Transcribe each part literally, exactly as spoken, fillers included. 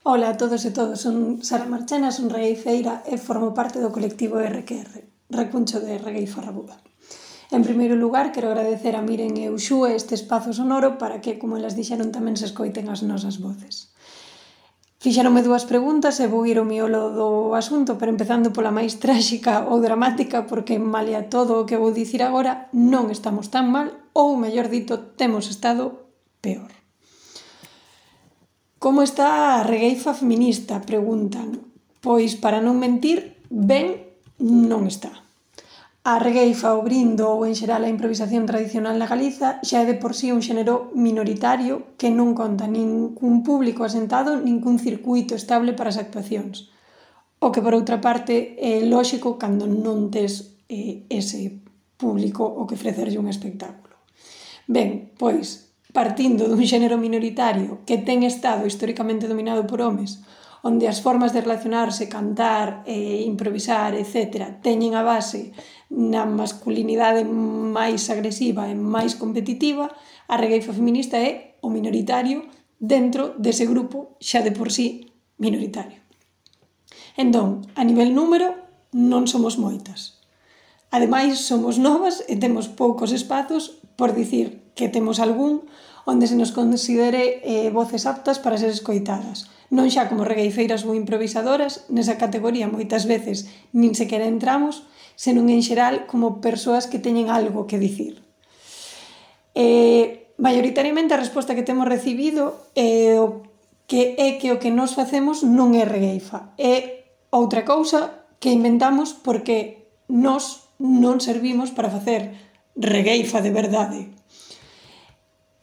Ola a todos e todas, son Sara Marchena, son regueifeira e formo parte do colectivo erre que erre, Recuncho de Regueifa Rabuda. En primeiro lugar, quero agradecer a Miren e Uxúe este espazo sonoro para que, como elas dixeron, tamén se escoiten as nosas voces. Fixeronme dúas preguntas e vou ir ao miolo do asunto, pero empezando pola máis tráxica ou dramática, porque malia todo o que vou dicir agora, non estamos tan mal, ou, mellor dito, temos estado peor. Como está a regueifa feminista? Preguntan. Pois, para non mentir, ben non está. A regueifa, o brindo ou, en xeral, a improvisación tradicional na Galiza xa é de por sí un xénero minoritario que non conta nin cun público asentado nin cun circuito estable para as actuacións. O que, por outra parte, é lóxico cando non tes eh, ese público o que ofrecerlle un espectáculo. Ben, pois, partindo dun xénero minoritario que ten estado históricamente dominado por homes, onde as formas de relacionarse, cantar, eh, improvisar, etcétera, teñen a base na masculinidade máis agresiva e máis competitiva, a regueifa feminista é o minoritario dentro dese grupo xa de por sí minoritario. Entón, a nivel número, non somos moitas. Ademais, somos novas e temos poucos espazos, por dicir que temos algún onde se nos considere eh, voces aptas para ser escoitadas. Non xa como regueifeiras ou improvisadoras, nesa categoría moitas veces nin sequera entramos, senón en xeral como persoas que teñen algo que dicir. Eh, maioritariamente a resposta que temos recibido é, o que é que o que nos facemos non é regueifa, é outra cousa que inventamos porque nós non servimos para facer regueifa de verdade.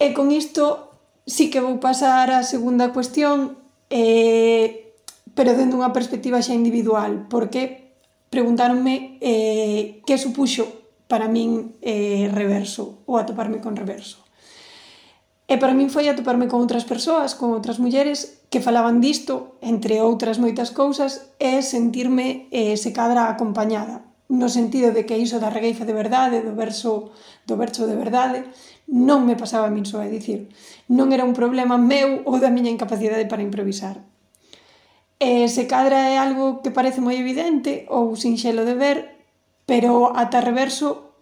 E con isto sí que vou pasar á segunda cuestión, eh, pero dende unha perspectiva xa individual, porque preguntáronme eh, que supuxo para min eh, reverso ou atoparme con reverso. E para min foi atoparme con outras persoas, con outras mulleres que falaban disto, entre outras moitas cousas, e sentirme eh, se cadra acompañada, no sentido de que iso da regueifa de verdade, do verso, do verso de verdade, non me pasaba a min só, é dicir, non era un problema meu ou da miña incapacidade para improvisar. E se cadra é algo que parece moi evidente ou sinxelo de ver, pero ata reverso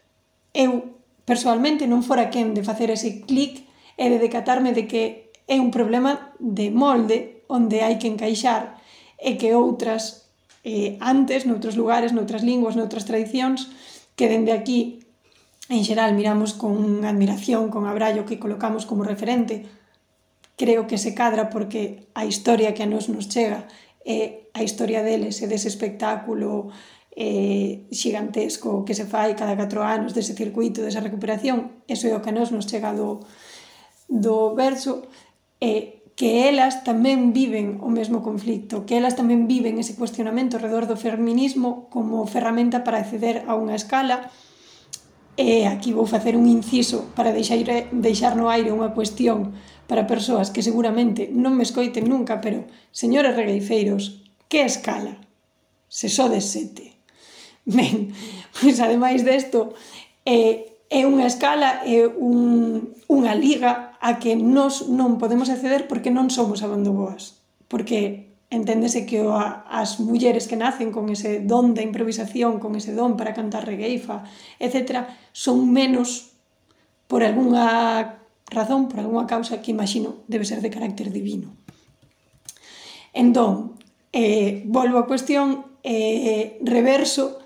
eu, persoalmente, non fora quen de facer ese clic e de decatarme de que é un problema de molde onde hai que encaixar e que outras, eh, antes, noutros lugares, noutras linguas, noutras tradicións, que dende aquí en xeral miramos con admiración, con abrallo, que colocamos como referente, creo que se cadra porque a historia que a nos nos chega é a historia deles e dese espectáculo eh, xigantesco que se fai cada catro anos, dese circuito, desa recuperación, eso é o que a nos nos chega do, do verso, e que elas tamén viven o mesmo conflicto, que elas tamén viven ese cuestionamento alrededor do feminismo como ferramenta para acceder a unha escala. E aquí vou facer un inciso para deixar, deixar no aire unha cuestión para persoas que seguramente non me escoiten nunca, pero, señores regueifeiros, que escala? Se sodes sete. Ben, pois ademais desto, é, é unha escala, é un, unha liga a que nós non podemos acceder porque non somos abondoboas. Porque enténdese que as mulleres que nacen con ese don da improvisación, con ese don para cantar regueifa, etcétera, son menos por algunha razón, por algunha causa que imagino debe ser de carácter divino. Entón, eh, volvo á cuestión, eh, reverso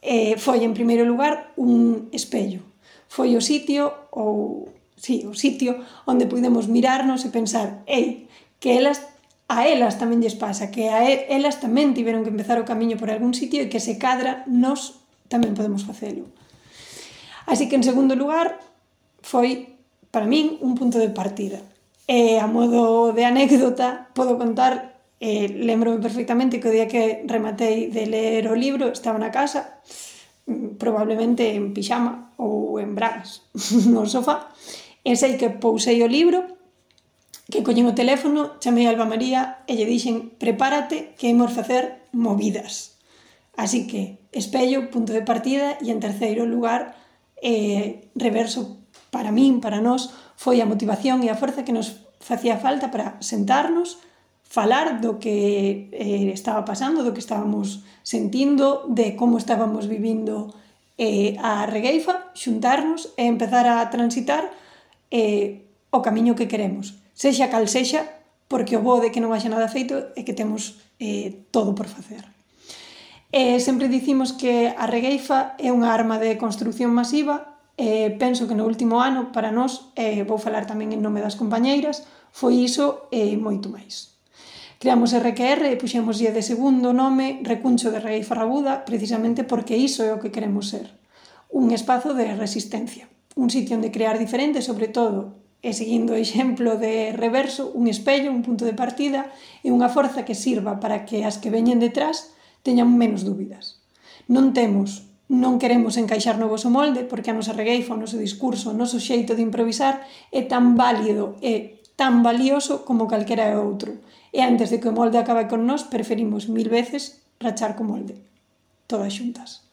eh, foi en primeiro lugar un espello. Foi o sitio, ou, sí, o sitio onde podemos mirarnos e pensar, ei, que elas a elas tamén lles pasa, que a elas tamén tiveron que empezar o camiño por algún sitio e que se cadra, nós tamén podemos facelo. Así que, en segundo lugar, foi, para min, un punto de partida. E, a modo de anécdota, podo contar, eh, lembro-me perfectamente que o día que rematei de ler o libro, estaba na casa, probablemente en pixama ou en bragas, no sofá, e sei que pousei o libro, que collín o teléfono, chamei a Alba María e lle dixen, prepárate que imos facer movidas. Así que, espello, punto de partida, e en terceiro lugar, eh, reverso para min, para nós, foi a motivación e a forza que nos facía falta para sentarnos, falar do que eh, estaba pasando, do que estábamos sentindo, de como estábamos vivindo eh, a regueifa, xuntarnos e empezar a transitar eh, o camiño que queremos, sexa cal sexa, porque o bo de que non haxa nada feito é que temos eh, todo por facer. E sempre dicimos que a regueifa é unha arma de construcción masiva e penso que no último ano, para nós, e vou falar tamén en nome das compañeiras, foi iso e moito máis. Creamos R Q R e puxémoslle de segundo nome Recuncho de Regueifa Rabuda precisamente porque iso é o que queremos ser. Un espazo de resistencia, un sitio onde crear diferente, sobre todo, e seguindo o exemplo de Reverso, un espello, un punto de partida e unha forza que sirva para que as que veñen detrás teñan menos dúbidas. Non temos, non queremos encaixar no voso molde porque a nosa regueifa, o noso discurso, o noso xeito de improvisar é tan válido e tan valioso como calquera outro. E antes de que o molde acabe con nós, preferimos mil veces rachar co molde. Todas xuntas.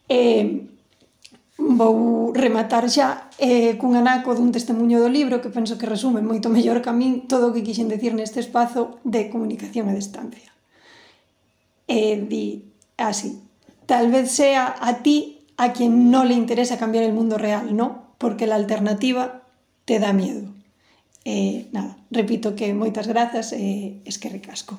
E vou rematar xa eh, cun anaco dun testemunho do libro que penso que resume moito mellor que a min todo o que quixen decir neste espazo de comunicación a distancia. E di así: tal vez sea a ti a quien no le interesa cambiar el mundo real, ¿no? Porque la alternativa te da miedo. Eh, nada, repito que moitas grazas e esquerrik asko.